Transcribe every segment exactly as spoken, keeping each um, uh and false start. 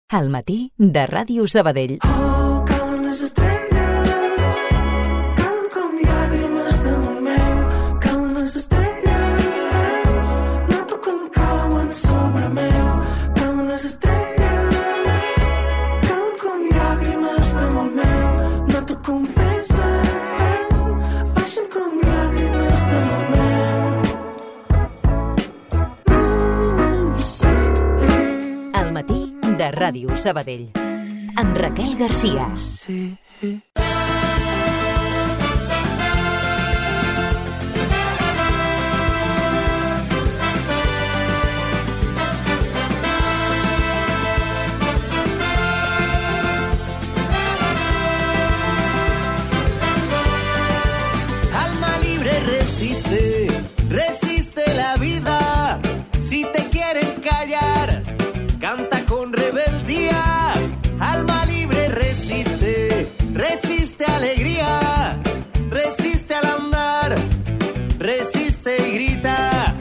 Al matí de Ràdio Sabadell. Oh, cauen les estrelles, cauen com llàgrimes damunt meu, cauen les estrelles, noto com cauen sobre meu, cauen les estrelles, cauen com llàgrimes damunt meu, noto com pesen, baixen com llàgrimes damunt meu. Uh, sí. Al matí de Ràdio Sabadell, amb Raquel Garcia. Sí. Alma libre resiste, resiste la vida. Si te quieren callar, canta con rebeldía. Alma libre resiste, resiste alegría, resiste al andar, resiste y grita.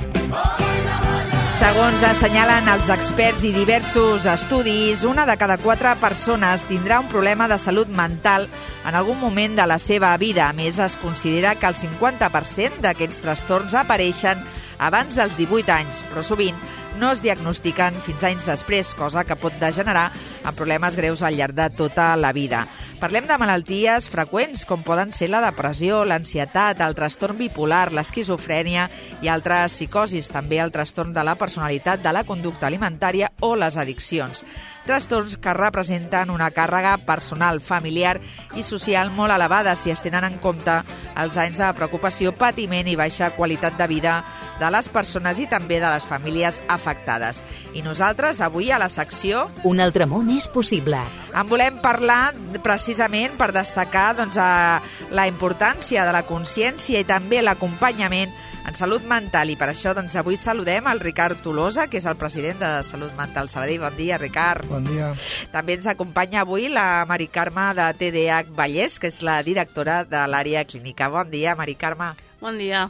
Segons assenyalen els experts i diversos estudis, una de cada quatre persones tindrà un problema de salut mental en algun moment de la seva vida. A més, es considera que el cinquanta per cent d'aquests trastorns apareixen abans dels divuit anys, però sovint no es diagnostiquen fins anys després, cosa que pot degenerar en problemes greus al llarg de tota la vida. Parlem de malalties freqüents, com poden ser la depressió, l'ansietat, el trastorn bipolar, l'esquizofrènia i altres psicosis, també el trastorn de la personalitat, de la conducta alimentària o les addiccions. Trastorns que representen una càrrega personal, familiar i social molt elevada si es tenen en compte els anys de preocupació, patiment i baixa qualitat de vida de les persones i també de les famílies afectades. I nosaltres, avui, a la secció Un altre món és possible. en volem parlar precisament per destacar doncs, a la importància de la consciència i també l'acompanyament en salut mental. I per això doncs, avui saludem el Ricard Tolosa, que és el president de Salut Mental Sabadell. Bon dia, Ricard. Bon dia. També ens acompanya avui la Mari Carme de T D A H Vallès, que és la directora de l'àrea clínica. Bon dia, Mari Carme. Bon dia.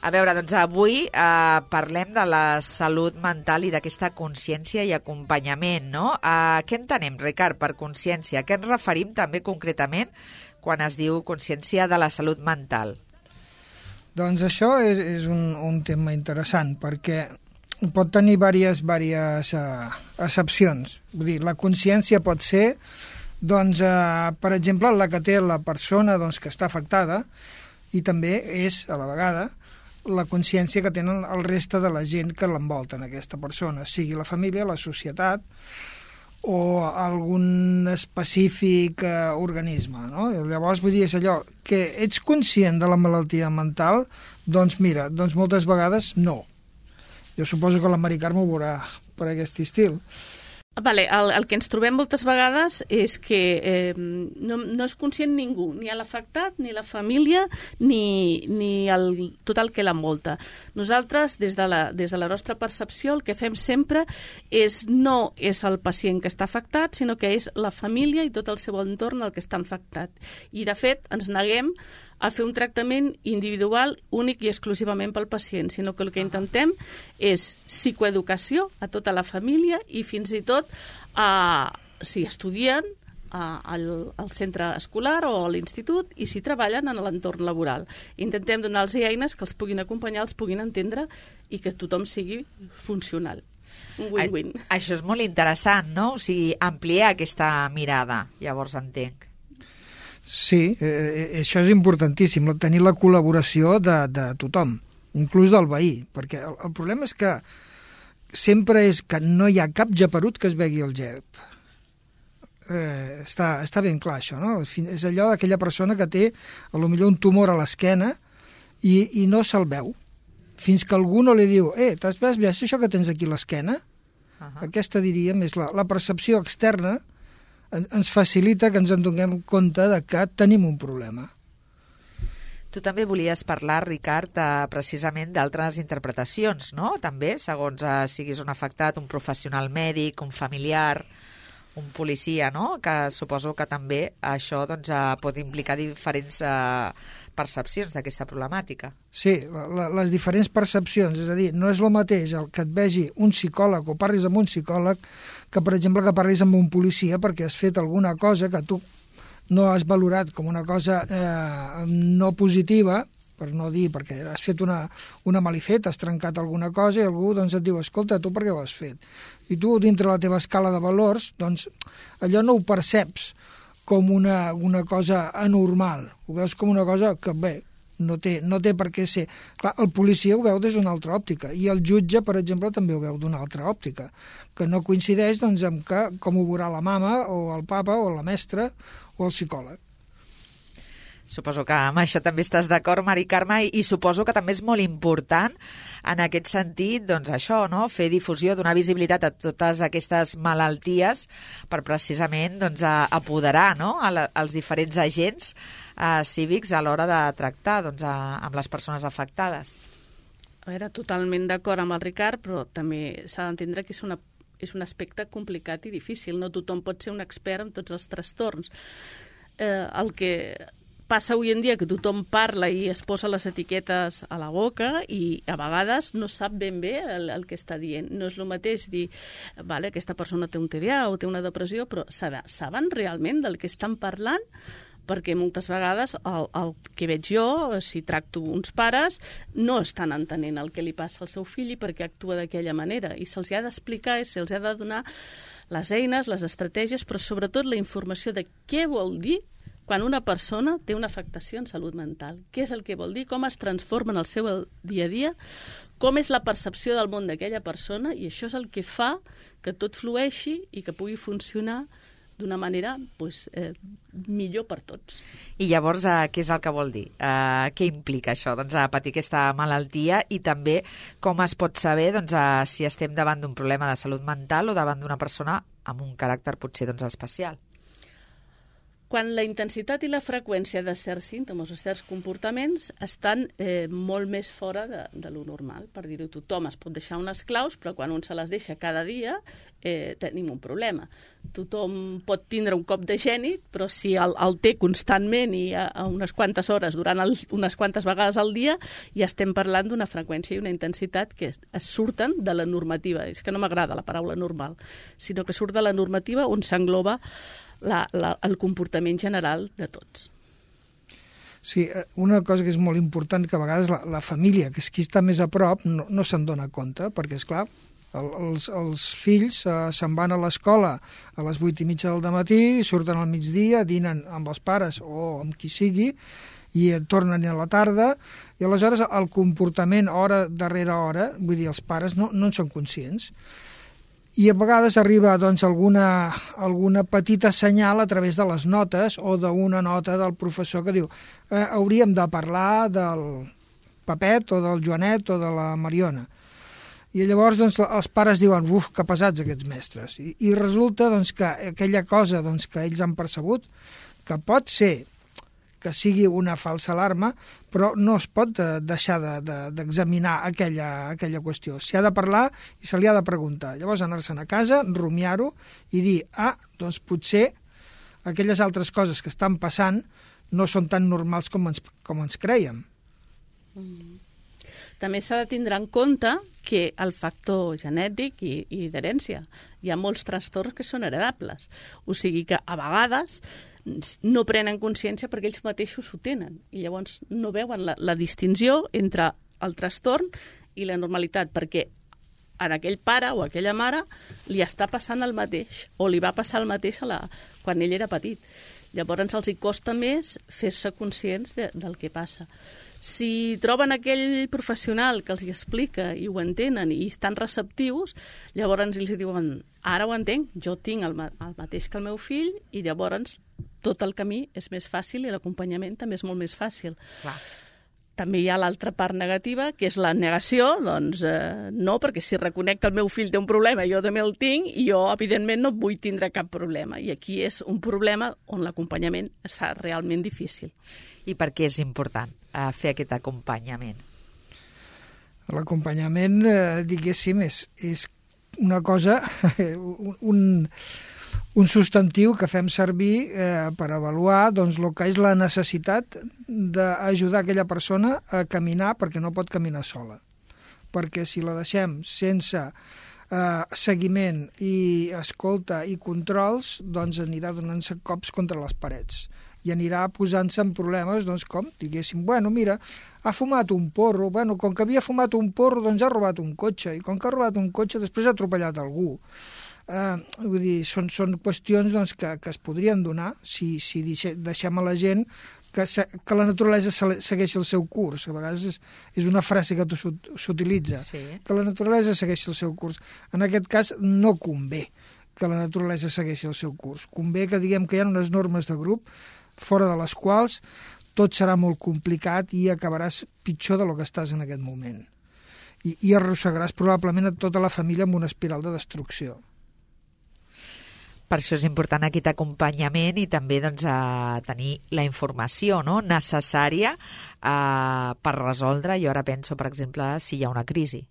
A veure, doncs avui eh, parlem de la salut mental i d'aquesta consciència i acompanyament, no? Eh, què entenem, Ricard, per consciència? Què ens referim també concretament quan es diu consciència de la salut mental? Doncs això és, és un, un tema interessant, perquè pot tenir diverses, diverses uh, accepcions. Vull dir, la consciència pot ser, doncs, uh, per exemple, la que té la persona doncs, que està afectada, i també és, a la vegada, la consciència que tenen el reste de la gent que l'envolta en aquesta persona, sigui la família, la societat o algun específic eh, organisme, no? Llavors, vull dir, és allò que ets conscient de la malaltia mental, doncs mira, doncs moltes vegades no. Jo suposo que la Mari Carme ho veurà per aquest estil. Vale, el, el que ens trobem moltes vegades és que eh, no, no és conscient ningú, ni l'afectat, ni la família, ni, ni el, tot el que l'envolta. Nosaltres, des de, la, des de la nostra percepció, el que fem sempre és no és el pacient que està afectat, sinó que és la família i tot el seu entorn el que està afectat. I, de fet, ens neguem a fer un tractament individual únic i exclusivament pel pacient, sinó que el que intentem és psicoeducació a tota la família i fins i tot a, si estudien a, al, al centre escolar o a l'institut i si treballen en l'entorn laboral. Intentem donar-los eines que els puguin acompanyar, els puguin entendre i que tothom sigui funcional. Un win-win. A, això és molt interessant, no? O sigui, ampliar aquesta mirada, llavors entenc. Sí, eh, això és importantíssim, tenir la col·laboració de, de tothom, inclús del veí, perquè el, el problema és que sempre és que no hi ha cap geperut que es begui el gep. Eh, està, està ben clar això, no? És allò d'aquella persona que té a lo millor un tumor a l'esquena i, i no se'l veu, fins que algú no li diu eh, t'has vist això que tens aquí a l'esquena? Uh-huh. Aquesta, diríem, és la, la percepció externa ens facilita que ens en donem compte de que tenim un problema. Tu també volies parlar, Ricard, eh, precisament d'altres interpretacions, no? També, segons eh, siguis un afectat, un professional mèdic, un familiar. un policia, no? Que suposo que també això doncs, eh, pot implicar diferents eh, percepcions d'aquesta problemàtica. Sí, la, la, les diferents percepcions, és a dir, no és el mateix el que et vegi un psicòleg o parlis amb un psicòleg que, per exemple, que parlis amb un policia perquè has fet alguna cosa que tu no has valorat com una cosa eh, no positiva, per no dir, perquè has fet una, una malifeta, has trencat alguna cosa i algú doncs, et diu, escolta, tu per què ho has fet? I tu, dintre la teva escala de valors, doncs allò no ho perceps com una, una cosa anormal, ho veus com una cosa que, bé, no té, no té per què ser. Clar, el policia ho veu des d'una altra òptica i el jutge, per exemple, també ho veu d'una altra òptica, que no coincideix doncs, amb que, com ho veurà la mama o el papa o la mestra o el psicòleg. Suposo que amb això també estàs d'acord, Mari Carme, i, i suposo que també és molt important en aquest sentit, doncs això, no? Fer difusió, donar visibilitat a totes aquestes malalties per precisament doncs, a, apoderar, no? a la, als diferents agents eh, cívics a l'hora de tractar doncs, a, amb les persones afectades. A veure, totalment d'acord amb el Ricard, però també s'ha d'entendre que és una és un aspecte complicat i difícil. No tothom pot ser un expert en tots els trastorns. Eh, el que passa avui en dia que tothom parla i es posa les etiquetes a la boca i a vegades no sap ben bé el, el que està dient. No és el mateix dir, vale, aquesta persona té un T D A o té una depressió, però saben, saben realment del que estan parlant? Perquè moltes vegades el, el que veig jo, si tracto uns pares, no estan entenent el que li passa al seu fill i per què actua d'aquella manera. I se'ls ha d'explicar i se'ls ha de donar les eines, les estratègies, però sobretot la informació de què vol dir quan una persona té una afectació en salut mental. Què és el que vol dir, com es transforma en el seu dia a dia, com és la percepció del món d'aquella persona, i això és el que fa que tot flueixi i que pugui funcionar d'una manera pues, eh, millor per tots. I llavors, eh, què és el que vol dir? Eh, què implica això? Doncs a patir aquesta malaltia i també com es pot saber doncs, eh, si estem davant d'un problema de salut mental o davant d'una persona amb un caràcter potser doncs, especial. Quan la intensitat i la freqüència de certs símptomes o certs comportaments estan eh, molt més fora de, de lo normal. Per dir-ho, tothom es pot deixar unes claus, però quan un se les deixa cada dia eh, tenim un problema. Tothom pot tindre un cop de geni, però si el, el té constantment i a, a unes quantes hores, durant el, unes quantes vegades al dia, ja estem parlant d'una freqüència i una intensitat que es, es surten de la normativa. És que no m'agrada la paraula normal, sinó que surt de la normativa on s'engloba La, la, el comportament general de tots. Sí, una cosa que és molt important, que a vegades la, la família, que és qui està més a prop, no, no se'n dona compte, perquè, esclar, el, els, els fills eh, se'n van a l'escola a les vuit i mitja del matí, surten al migdia, dinen amb els pares o amb qui sigui, i tornen a la tarda, i aleshores el comportament hora darrere hora, vull dir, els pares no, no en són conscients. I a vegades arriba doncs, alguna, alguna petita senyal a través de les notes o d'una nota del professor que diu eh, hauríem de parlar del Pepet o del Joanet o de la Mariona. I llavors doncs, els pares diuen, uf, que pesats aquests mestres. I, i resulta doncs, que aquella cosa doncs, que ells han percebut, que pot ser que sigui una falsa alarma, però no es pot deixar d'examinar de, de, aquella, aquella qüestió. S'hi ha de parlar i se li ha de preguntar. Llavors anar-se'n a casa, rumiar-ho i dir, ah, doncs potser aquelles altres coses que estan passant no són tan normals com ens, com ens creiem. Mm. També s'ha de tindre en compte que el factor genètic i, i d'herència, hi ha molts trastorns que són heredables. O sigui que a vegades no prenen consciència perquè ells mateixos ho tenen i llavors no veuen la, la distinció entre el trastorn i la normalitat, perquè a aquell pare o a aquella mare li està passant el mateix o li va passar el mateix a la, quan ell era petit. Llavors els hi costa més fer-se conscients de, del que passa. Si troben aquell professional que els hi explica i ho entenen i estan receptius, llavors ells diuen, ara ho entenc, jo tinc el, el mateix que el meu fill i llavors tot el camí és més fàcil i l'acompanyament també és molt més fàcil. Clar. També hi ha l'altra part negativa, que és la negació, doncs eh, no, perquè si reconec que el meu fill té un problema, jo també el tinc, i jo, evidentment, no vull tindre cap problema. I aquí és un problema on l'acompanyament es fa realment difícil. I per què és important eh, fer aquest acompanyament? L'acompanyament, eh, diguéssim, és, és una cosa, un, un substantiu que fem servir eh, per avaluar doncs, el que és la necessitat d'ajudar aquella persona a caminar perquè no pot caminar sola. Perquè si la deixem sense eh, seguiment i escolta i controls, doncs anirà donant-se cops contra les parets i anirà posant-se en problemes, doncs com, diguéssim, bueno, mira, ha fumat un porro, bueno, com que havia fumat un porro, doncs ha robat un cotxe, i com que ha robat un cotxe, després ha atropellat algú. Uh, vull dir, són, són qüestions doncs, que, que es podrien donar si, si deixem a la gent que, se, que la naturalesa segueixi el seu curs. A vegades és, és una frase que s'utilitza, sí. Que la naturalesa segueixi el seu curs. En aquest cas no convé que la naturalesa segueixi el seu curs. Convé que diguem que hi ha unes normes de grup fora de les quals tot serà molt complicat i acabaràs pitjor del que estàs en aquest moment. I, i arrossegaràs probablement a tota la família amb una espiral de destrucció. Per això és important aquest acompanyament i també doncs, a tenir la informació, no?, necessària eh, per resoldre. Jo ara penso, per exemple, si hi ha una crisi.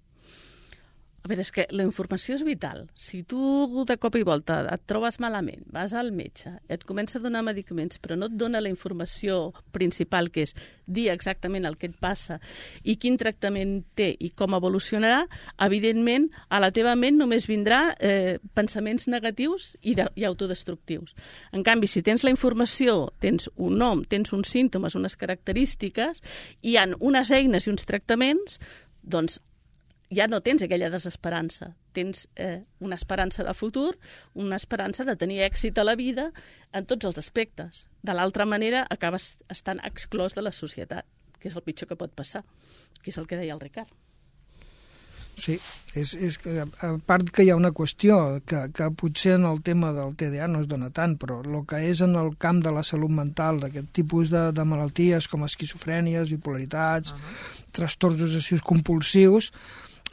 A veure, és que la informació és vital. Si tu de cop i volta et trobes malament, vas al metge, et comença a donar medicaments, però no et dona la informació principal, que és dir exactament el que et passa i quin tractament té i com evolucionarà, evidentment a la teva ment només vindrà eh, pensaments negatius i, de, i autodestructius. En canvi, si tens la informació, tens un nom, tens uns símptomes, unes característiques, i hi ha unes eines i uns tractaments, doncs ja no tens aquella desesperança, tens eh, una esperança de futur, una esperança de tenir èxit a la vida en tots els aspectes. De l'altra manera, acabes estant exclòs de la societat, que és el pitjor que pot passar, que és el que deia el Ricard. Sí, és, és que, a part que hi ha una qüestió que, que potser en el tema del T D A no es dona tant, però el que és en el camp de la salut mental, d'aquest tipus de, de malalties com esquizofrènies, bipolaritats, uh-huh. trastorns obsessius compulsius,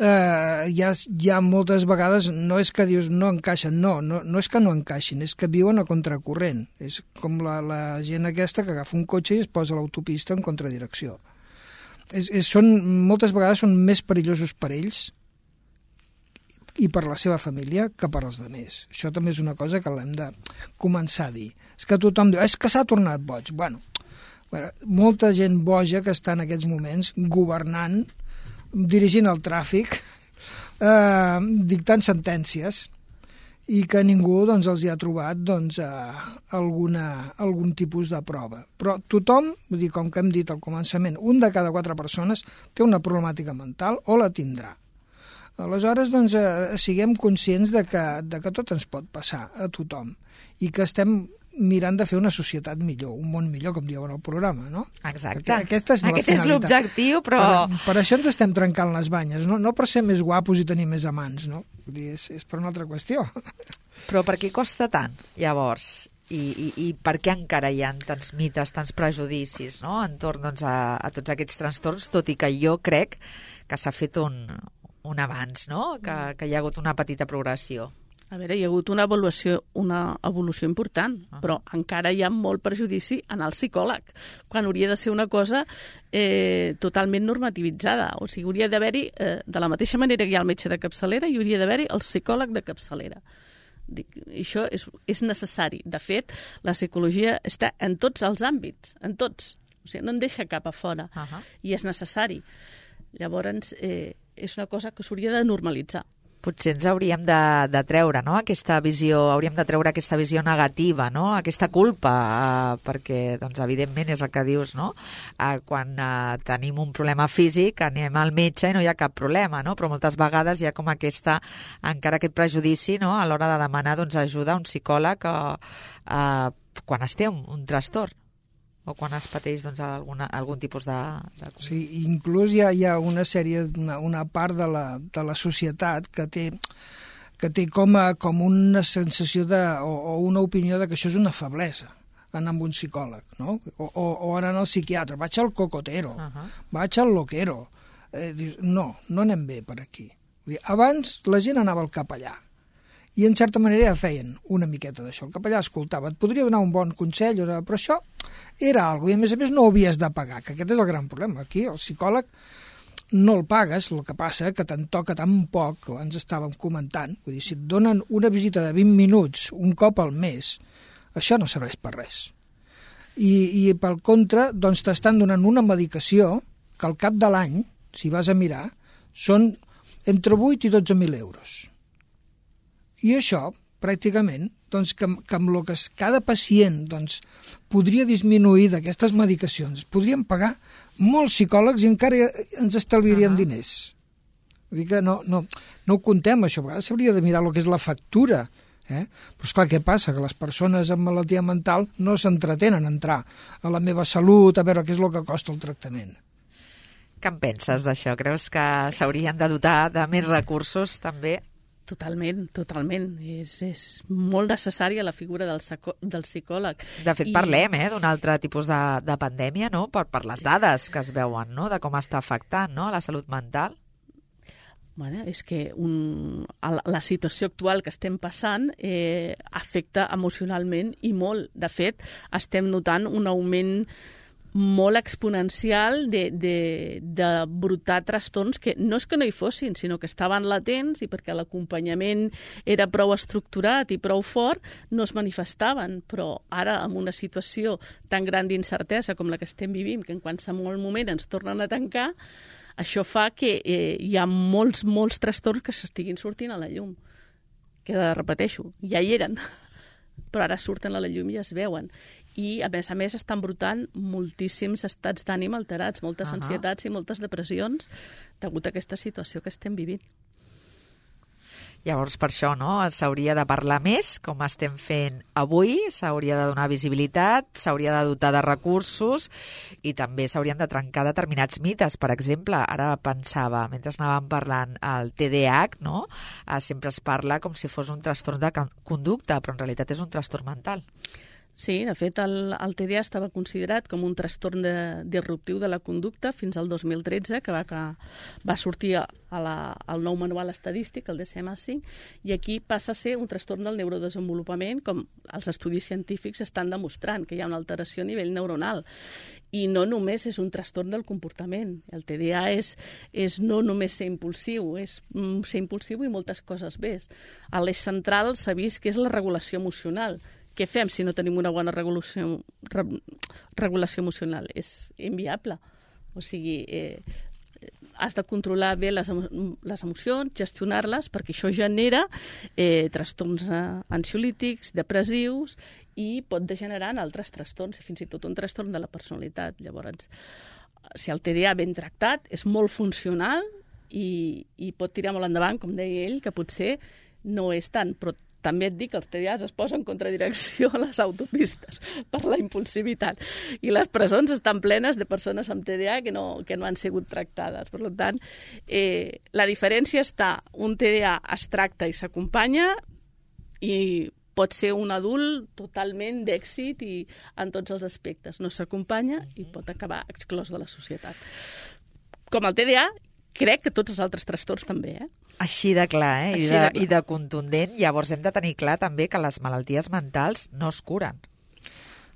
eh, hi, ha, hi ha moltes vegades, no és que dius no encaixen, no, no, no és que no encaixin, és que viuen a contracorrent. És com la, la gent aquesta que agafa un cotxe i es posa a l'autopista en contradirecció. És, és, són, moltes vegades són més perillosos per ells i per la seva família que per als altres. Això també és una cosa que l'hem de començar a dir. És que tothom diu, és que s'ha tornat boig. Bueno, bueno, molta gent boja que està en aquests moments governant, dirigint el tràfic, eh, dictant sentències, i que ningú doncs, els hi ha trobat doncs, eh, alguna, algun tipus de prova. Però tothom, vull dir, com que hem dit al començament, un de cada quatre persones té una problemàtica mental o la tindrà. Aleshores, doncs, eh, siguem conscients de que, de que tot ens pot passar a tothom i que estem mirant de fer una societat millor, un món millor, com dieu en el programa, no? Exacte. Aquesta és la Aquest és l'objectiu, però... Per, per això ens estem trencant les banyes, no, no per ser més guapos i tenir més amants, no? Vull dir, és, és per una altra qüestió. Però per què costa tant, llavors? I, i, i per què encara hi ha tants mites, tants prejudicis, no?, entorn doncs, a, a tots aquests trastorns, tot i que jo crec que s'ha fet un, un avanç, no?, que, que hi ha hagut una petita progressió. A veure, hi ha hagut una evolució, una evolució important, uh-huh. però encara hi ha molt prejudici en el psicòleg, quan hauria de ser una cosa eh, totalment normativitzada. O sigui, hauria d'haver-hi, eh, de la mateixa manera que hi ha el metge de capçalera, hi hauria d'haver-hi el psicòleg de capçalera. Dic, això és, és necessari. De fet, la psicologia està en tots els àmbits, en tots. O sigui, no en deixa cap a fora, uh-huh. i és necessari. Llavors, eh, és una cosa que s'hauria de normalitzar. Potser ens hauríem de, de treure, no?, aquesta visió, hauríem de treure aquesta visió negativa, no?, aquesta culpa, eh, perquè, doncs, evidentment, és el que dius, no?, eh, quan eh, tenim un problema físic, anem al metge i no hi ha cap problema, no?, però moltes vegades hi ha com aquesta, encara aquest prejudici, no?, a l'hora de demanar, doncs, ajuda a un psicòleg eh, eh, quan es té un, un trastorn o quan es pateix doncs, alguna, algun tipus de... de... Sí, inclús hi ha, hi ha una sèrie, una, una part de la, de la societat que té, que té com, a, com una sensació de, o, o una opinió de que això és una feblesa, anar amb un psicòleg, no? O, o, o anar al psiquiatre, vaig al cocotero, uh-huh. vaig al loquero. Eh, dius, no, no anem bé per aquí. Abans la gent anava al capellà, i en certa manera ja feien una miqueta d'això. El capellà escoltava, et podria donar un bon consell, però això era alguna cosa, i a més a més no ho havies de pagar, que aquest és el gran problema. Aquí el psicòleg no el pagues, el que passa que te'n toca tan poc, que abans estàvem comentant, vull dir, si et donen una visita de vint minuts un cop al mes, això no serveix per res. I, i pel contra, doncs t'estan donant una medicació que al cap de l'any, si vas a mirar, són entre vuit i dotze mil euros. I això, pràcticament, doncs, que, que amb el que cada pacient doncs, podria disminuir d'aquestes medicacions, podríem pagar molts psicòlegs i encara ens estalviarien uh-huh. diners. Vull dir que no, no, no ho contem, això. A vegades s'hauria de mirar el que és la factura. Eh? Però esclar, què passa? Que les persones amb malaltia mental no s'entretenen a entrar a la meva salut, a veure què és el que costa el tractament. Què en penses d'això? Creus que s'haurien de dotar de més recursos també? Totalment, totalment. És, és molt necessària la figura del, saco, del psicòleg. De fet, I... parlem eh, d'un altre tipus de, de pandèmia, no? per, per les dades que es veuen, no? De com està afectant, no? La salut mental. Bueno, és que un, la situació actual que estem passant eh, afecta emocionalment i molt. De fet, estem notant un augment molt exponencial de, de, de brotar trastorns que no és que no hi fossin, sinó que estaven latents i perquè l'acompanyament era prou estructurat i prou fort, no es manifestaven. Però ara, amb una situació tan gran d'incertesa com la que estem vivint, que en qualsevol moment ens tornen a tancar, això fa que eh, hi ha molts, molts trastorns que s'estiguin sortint a la llum. Que, repeteixo, ja hi eren, però ara surten a la llum i es veuen. I, a més a més, estan brotant moltíssims estats d'ànim alterats, moltes uh-huh. ansietats i moltes depressions degut a aquesta situació que estem vivint. Llavors, per això, no? S'hauria de parlar més, com estem fent avui, s'hauria de donar visibilitat, s'hauria de dotar de recursos i també s'haurien de trencar determinats mites. Per exemple, ara pensava, mentre anàvem parlant, el T D A H, no? Eh, sempre es parla com si fos un trastorn de conducta, però en realitat és un trastorn mental. Sí, de fet, el, el T D A estava considerat com un trastorn de, disruptiu de la conducta fins al dos mil tretze, que va, que va sortir a, a la, al nou manual estadístic, el D S M cinc, i aquí passa a ser un trastorn del neurodesenvolupament, com els estudis científics estan demostrant, que hi ha una alteració a nivell neuronal. I no només és un trastorn del comportament. El T D A és, és no només ser impulsiu, és mm, ser impulsiu i moltes coses més. A l'eix central s'ha vist que és la regulació emocional. Què fem si no tenim una bona regulació, re, regulació emocional? És inviable. O sigui, eh, has de controlar bé les, les emocions, gestionar-les, perquè això genera eh, trastorns eh, ansiolítics, depressius, i pot degenerar en altres trastorns, fins i tot un trastorn de la personalitat. Llavors, si el T D A ben tractat és molt funcional i, i pot tirar molt endavant, com deia ell, que potser no és tant, però també et dic que els T D As es posen en contradirecció a les autopistes per la impulsivitat. I les presons estan plenes de persones amb T D A que no, que no han sigut tractades. Per tant, eh, la diferència està, un T D A es tracta i s'acompanya i pot ser un adult totalment d'èxit i en tots els aspectes. No s'acompanya i pot acabar exclòs de la societat. Com el T D A, crec que tots els altres trastorns també, eh? Així de clar, eh? I de, de clar. I de contundent. Llavors hem de tenir clar també que les malalties mentals no es curen.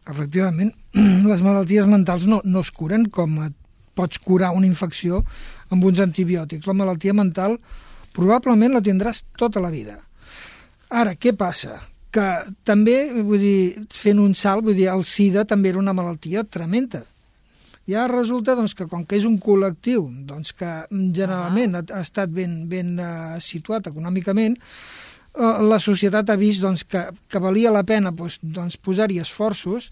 Efectivament, les malalties mentals no, no es curen com et pots curar una infecció amb uns antibiòtics. La malaltia mental probablement la tindràs tota la vida. Ara, què passa? Que també, vull dir, fent un salt, vull dir, el SIDA també era una malaltia tremenda. I ara resulta doncs, que com que és un col·lectiu doncs, que generalment ha, ha estat ben, ben uh, situat econòmicament, uh, la societat ha vist doncs, que, que valia la pena doncs, doncs, posar-hi esforços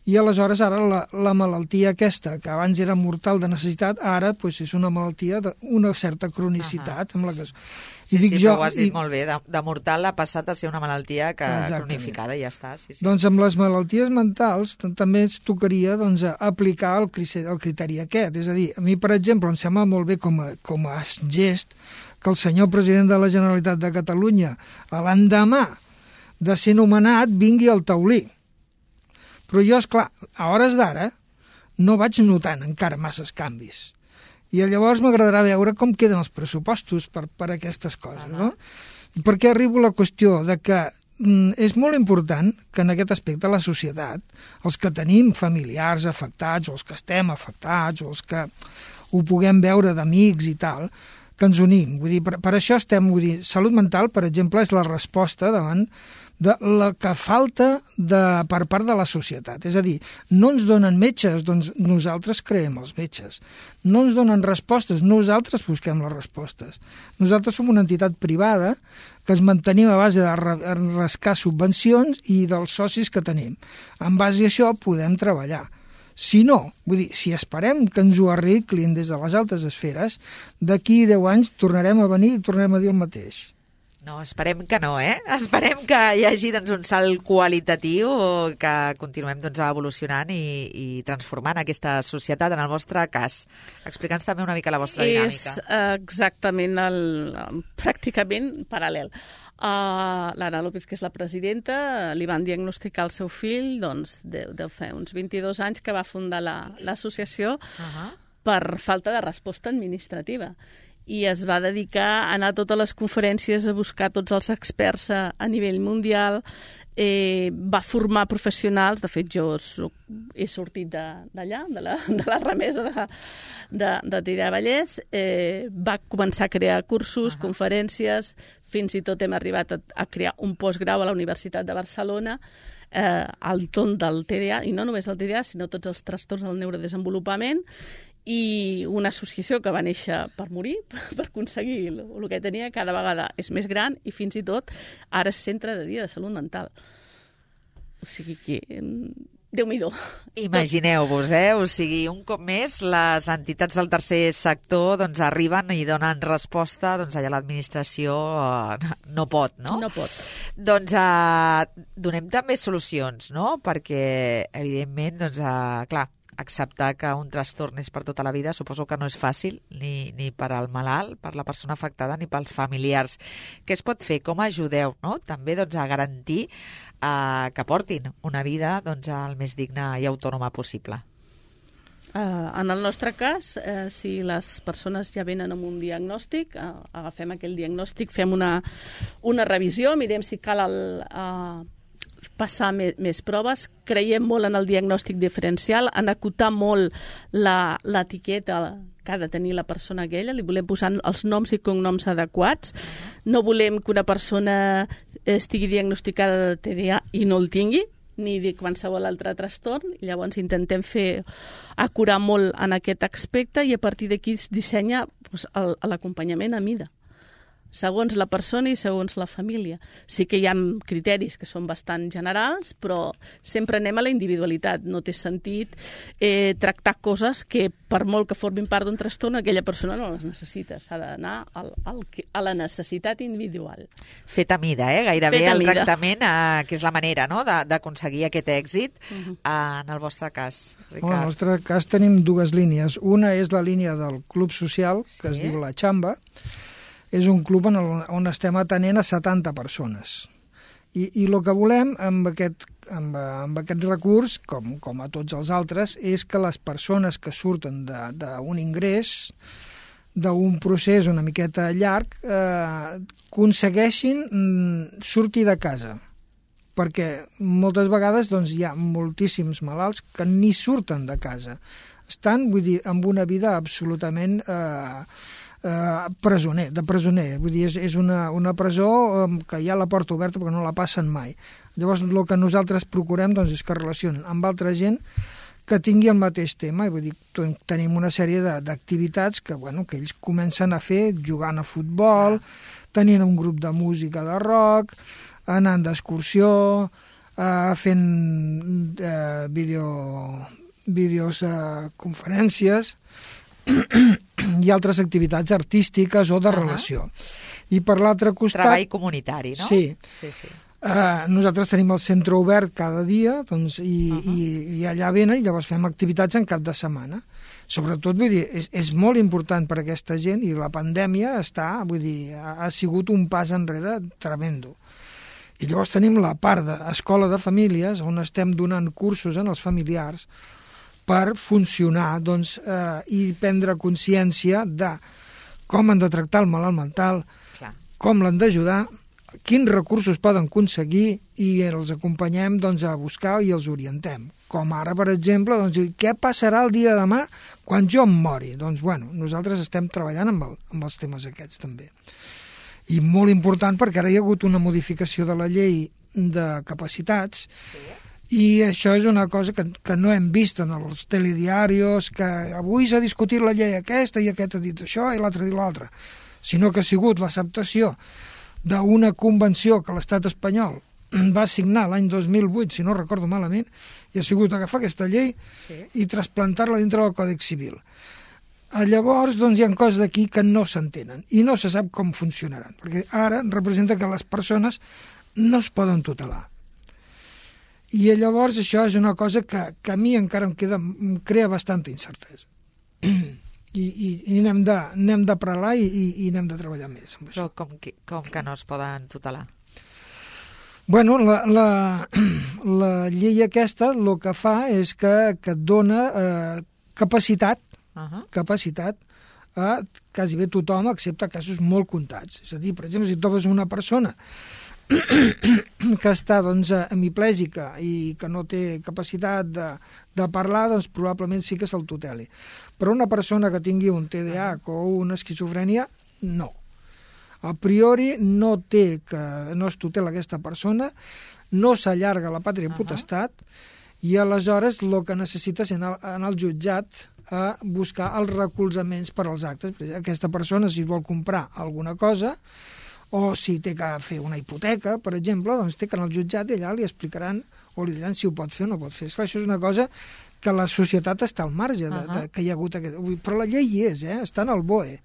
i aleshores ara la, la malaltia aquesta, que abans era mortal de necessitat, ara doncs, és una malaltia d'una certa cronicitat. Uh-huh. Amb la que... Sí, I dic sí, jo, però ho has dit i... molt bé. De, de mortal ha passat a ser una malaltia que Exactament. cronificada i ja està. Sí, sí. Doncs amb les malalties mentals també ens tocaria doncs, aplicar el criteri, el criteri aquest. És a dir, a mi, per exemple, em sembla molt bé com a, com a gest que el senyor president de la Generalitat de Catalunya, a l'endemà de ser nomenat, vingui al taulí. Però jo, esclar, a hores d'ara no vaig notant encara masses canvis. I llavors m'agradarà veure com queden els pressupostos per, per aquestes coses, no? Perquè arribo a la qüestió de que mm, és molt important que en aquest aspecte la societat, els que tenim familiars afectats, o els que estem afectats, o els que, ho puguem veure d'amics i tal, que ens unim. Vull dir, per, per això estem, vull dir, salut mental, per exemple, és la resposta davant de la que falta de, per part de la societat. És a dir, no ens donen metges, doncs nosaltres creem els metges. No ens donen respostes, nosaltres busquem les respostes. Nosaltres som una entitat privada que es mantenim a base de rascar subvencions i dels socis que tenim. En base a això podem treballar. Si no, vull dir, si esperem que ens ho arreglin des de les altes esferes, d'aquí deu anys tornarem a venir i tornarem a dir el mateix. No, esperem que no, eh? Esperem que hi hagi doncs, un salt qualitatiu, que continuem doncs, evolucionant i, i transformant aquesta societat. En el vostre cas, explica'ns també una mica la vostra dinàmica. És exactament, el, pràcticament paral·lel. Uh, L'Anna López, que és la presidenta, li van diagnosticar al seu fill, doncs, deu, deu fer uns vint-i-dos anys que va fundar l'associació la, uh-huh. per falta de resposta administrativa. I es va dedicar a anar a totes les conferències, a buscar tots els experts a, a nivell mundial, eh, va formar professionals, de fet jo soc, he sortit d'allà, de, de, la, de la remesa de, de, de Teià Vallès, eh, va començar a crear cursos, uh-huh. conferències, fins i tot hem arribat a, a crear un postgrau a la Universitat de Barcelona eh, al torn del T D A, i no només el T D A, sinó tots els trastorns del neurodesenvolupament, i una associació que va néixer per morir, per aconseguir el, el que tenia, cada vegada és més gran i fins i tot ara és centre de dia de salut mental. O sigui que... Déu-m'hi-do. Imagineu-vos, eh? O sigui, un cop més, les entitats del tercer sector doncs, arriben i donen resposta, doncs allà l'administració eh, no pot, no? No pot. Doncs eh, donem també solucions, no? Perquè, evidentment, doncs, eh, clar, acceptar que un trastorn és per tota la vida suposo que no és fàcil, ni, ni per al malalt, per la persona afectada, ni pels familiars. Què es pot fer? Com ajudeu, no? També doncs, a garantir eh, que portin una vida doncs, el més digna i autònoma possible. Uh, en el nostre cas, uh, si les persones ja venen amb un diagnòstic, uh, agafem aquell diagnòstic, fem una, una revisió, mirem si cal el... Uh, passar més, més proves, creiem molt en el diagnòstic diferencial, en acotar molt l'etiqueta que ha de tenir la persona aquella, li volem posar els noms i cognoms adequats, no volem que una persona estigui diagnosticada de T D A i no el tingui, ni de qualsevol altre trastorn, llavors intentem fer acurar molt en aquest aspecte i a partir d'aquí es dissenya doncs, l'acompanyament a mida, segons la persona i segons la família. Sí que hi ha criteris que són bastant generals, però sempre anem a la individualitat. No té sentit eh, tractar coses que, per molt que formin part d'un trastorn, aquella persona no les necessita. S'ha d'anar al, al, a la necessitat individual. Fet a mida, eh? Gairebé Fet a el mida. tractament, eh, que és la manera no? d'aconseguir aquest èxit. Uh-huh. eh, en el vostre cas, Ricard. En el nostre cas tenim dues línies. Una és la línia del Club Social, que sí. es diu La Xamba. És un club on, on estem atenent a setanta persones. I, i el que volem amb aquest, amb, amb aquest recurs, com, com a tots els altres, és que les persones que surten d'un ingrés, d'un procés una miqueta llarg, eh, aconsegueixin mm, sortir de casa. Perquè moltes vegades doncs, hi ha moltíssims malalts que ni surten de casa. Estan, vull dir, amb una vida absolutament... Eh, Uh, presoner, de presoner. Vull dir, és, és una, una presó um, que hi ha la porta oberta perquè no la passen mai. Llavors, el que nosaltres procurem doncs, és que relacionen amb altra gent que tingui el mateix tema. I vull dir, tenim una sèrie d'activitats que, bueno, que ells comencen a fer jugant a futbol, tenint un grup de música de rock, anant d'excursió, uh, fent uh, vídeo, vídeos, uh, conferències... i altres activitats artístiques o de uh-huh. relació. I per l'altre costat... Treball comunitari, no? Sí. sí, sí. Uh, nosaltres tenim el centre obert cada dia doncs, i, uh-huh. i, i allà venen i llavors fem activitats en cap de setmana. Sobretot, vull dir, és, és molt important per a aquesta gent i la pandèmia està, vull dir, ha, ha sigut un pas enrere tremendo. I llavors tenim la part d'escola de famílies on estem donant cursos en els familiars per funcionar doncs, eh, i prendre consciència de com han de tractar el malalt mental, Clar. com l'han d'ajudar quins recursos poden aconseguir i els acompanyem doncs, a buscar i els orientem. Com ara, per exemple, doncs, què passarà el dia de demà quan jo em mori? Doncs, bueno, nosaltres estem treballant amb, el, amb els temes aquests, també. I molt important, perquè ara hi ha hagut una modificació de la llei de capacitats, sí. I això és una cosa que, que no hem vist en els telediarios, que avui s'ha discutit la llei aquesta i aquest ha dit això i l'altre ha dit l'altre, sinó que ha sigut l'acceptació d'una convenció que l'estat espanyol va signar l'any dos mil vuit, si no recordo malament, i ha sigut agafar aquesta llei sí. I trasplantar-la dintre del Còdex Civil. Llavors, doncs, hi ha coses d'aquí que no s'entenen i no se sap com funcionaran, perquè ara representa que les persones no es poden tutelar. I llavors això és una cosa que, que a mi encara em, queda, em crea bastanta incertesa. I, i, i n'hem de, n'hem de parlar i, i, i n'hem de treballar més amb això. Però com que, com que no es poden tutelar? Bueno, la, la, la llei aquesta el que fa és que, que et dona eh, capacitat, uh-huh. capacitat a quasi bé tothom, excepte casos molt comptats. És a dir, per exemple, si trobes una persona que està doncs, hemiplègica i que no té capacitat de, de parlar, doncs probablement sí que se'l tuteli. Però una persona que tingui un T D A H o una esquizofrènia, no. A priori no té que no es tutela aquesta persona, no s'allarga la pàtria potestat i aleshores el que necessita és anar, anar al jutjat a buscar els recolzaments per als actes. Aquesta persona, si vol comprar alguna cosa, o si té que fer una hipoteca, per exemple, doncs té que anar al jutjat i allà li explicaran o li diran si ho pot fer o no pot fer. Esclar, això és una cosa que la societat està al marge, de, uh-huh. de, que hi ha hagut aquest... Però la llei hi és, eh? Està en el B O E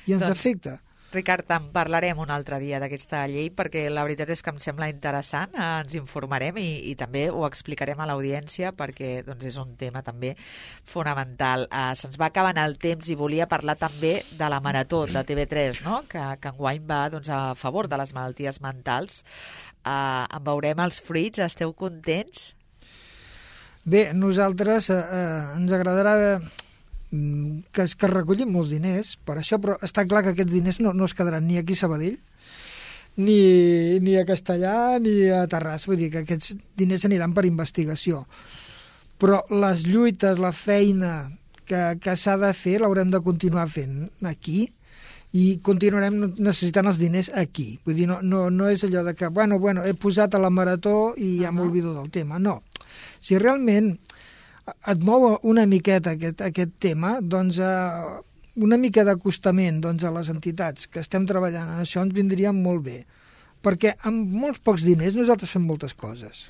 i ens doncs, afecta. Ricard, en parlarem un altre dia d'aquesta llei perquè la veritat és que em sembla interessant, eh, ens informarem i, i també ho explicarem a l'audiència perquè doncs, és un tema també fonamental. Eh, se'ns va acabant el temps i volia parlar també de la Marató de T V tres, no? que, que enguany va doncs, a favor de les malalties mentals. Eh, en veurem els fruits, esteu contents? Bé, nosaltres eh, eh, ens agradarà... que es, que es recullin molts diners per això, però està clar que aquests diners no, no es quedaran ni aquí a Sabadell ni, ni a Castellà ni a Terrassa, vull dir que aquests diners aniran per investigació, però les lluites, la feina que, que s'ha de fer l'haurem de continuar fent aquí i continuarem necessitant els diners aquí, vull dir, no, no, no és allò de que bueno, bueno, he posat a la Marató i ja m'oblido del tema, no, si realment et mou una miqueta aquest, aquest tema, doncs eh, una mica d'acostament doncs, a les entitats que estem treballant en això ens vindria molt bé, perquè amb molts pocs diners nosaltres fem moltes coses.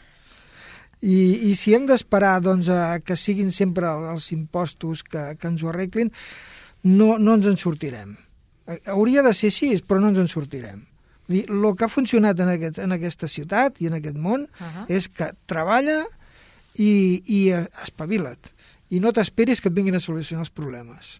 I, i si hem d'esperar doncs, a que siguin sempre els impostos que, que ens ho arreglin, no, no ens en sortirem. Hauria de ser així, però no ens en sortirem. El que ha funcionat en, aquest, en aquesta ciutat i en aquest món uh-huh. és que treballa i, i espavila't i no t'esperis que et vinguin a solucionar els problemes.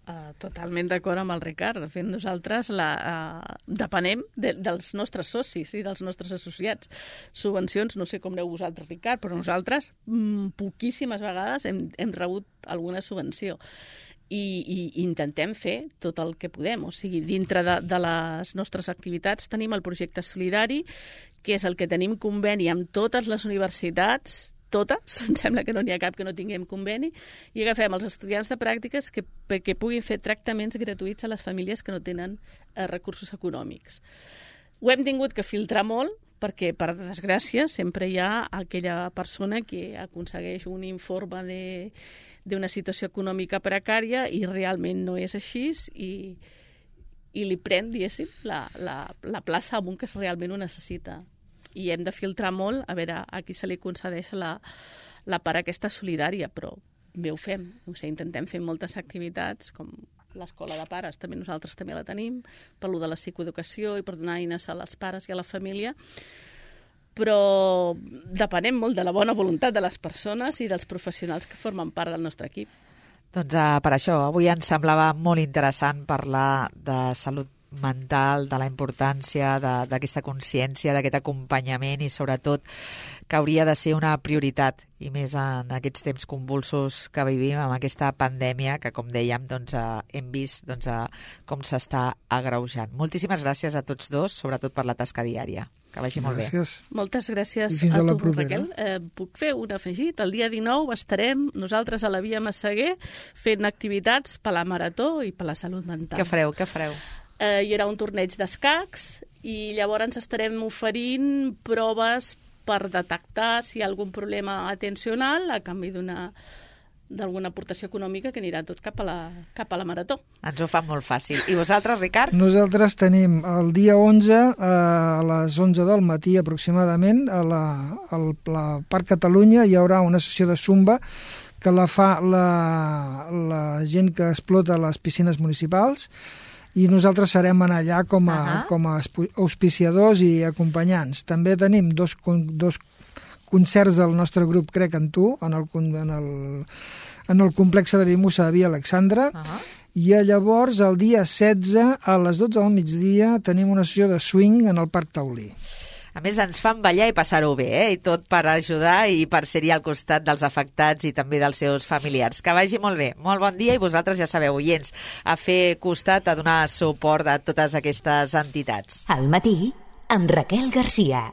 Uh, totalment d'acord amb el Ricard. De fet, nosaltres la, uh, depenem de, dels nostres socis i dels nostres associats. Subvencions, no sé com aneu vosaltres, Ricard, però nosaltres mm, poquíssimes vegades hem, hem rebut alguna subvenció. I, i intentem fer tot el que podem. O sigui, dintre de, de les nostres activitats tenim el projecte solidari, que és el que tenim conveni amb totes les universitats, totes, em sembla que no n'hi ha cap que no tinguem conveni, i agafem els estudiants de pràctiques que, que puguin fer tractaments gratuïts a les famílies que no tenen eh, recursos econòmics. Ho hem tingut que filtrar molt, perquè, per desgràcia, sempre hi ha aquella persona que aconsegueix un informe de, d'una situació econòmica precària i realment no és així i, i li pren, diguéssim, la, la, la plaça amunt que realment ho necessita. I hem de filtrar molt a veure a qui se li concedeix la, la part aquesta solidària, però bé ho fem. O sigui, intentem fer moltes activitats, com l'escola de pares, també nosaltres també la tenim, per lo de la psicoeducació i per donar eines als pares i a la família, però depenem molt de la bona voluntat de les persones i dels professionals que formen part del nostre equip. Doncs uh, per això, avui ens semblava molt interessant parlar de salut mental, de la importància d'aquesta consciència, d'aquest acompanyament i sobretot que hauria de ser una prioritat i més en aquests temps convulsos que vivim amb aquesta pandèmia que, com dèiem, doncs, eh, hem vist doncs, eh, com s'està agreujant. Moltíssimes gràcies a tots dos, sobretot per la tasca diària. Que vagi molt Gràcies. bé. Moltes gràcies I fins a a la tu, propera. Raquel. Eh, puc fer un afegit? El dia dinou estarem nosaltres a la Via Massaguer fent activitats per la Marató i per la salut mental. Què fareu? Què fareu? Eh, hi haurà un torneig d'escacs i llavors estarem oferint proves per detectar si hi ha algun problema atencional a canvi d'una d'alguna aportació econòmica que anirà tot cap a la, cap a la Marató. Ens ho fan molt fàcil. I vosaltres, Ricard? Nosaltres tenim el dia onze eh, a les onze del matí aproximadament a la, al la Parc Catalunya hi haurà una sessió de zumba que la fa la, la gent que explota les piscines municipals i nosaltres serem allà com a, Uh-huh. com a auspiciadors i acompanyants. També tenim dos, dos concerts del nostre grup Crec en tu, en el, en el, en el complex de Vimusa de Via Alexandra, Uh-huh. i llavors el dia setze a les dotze del migdia tenim una sessió de swing en el Parc Taulí. A més, ens fan ballar i passar-ho bé, eh? I tot per ajudar i per ser-hi al costat dels afectats i també dels seus familiars. Que vagi molt bé. Molt bon dia i vosaltres ja sabeu, oients, a fer costat, a donar suport a totes aquestes entitats. Al matí, amb Raquel Garcia.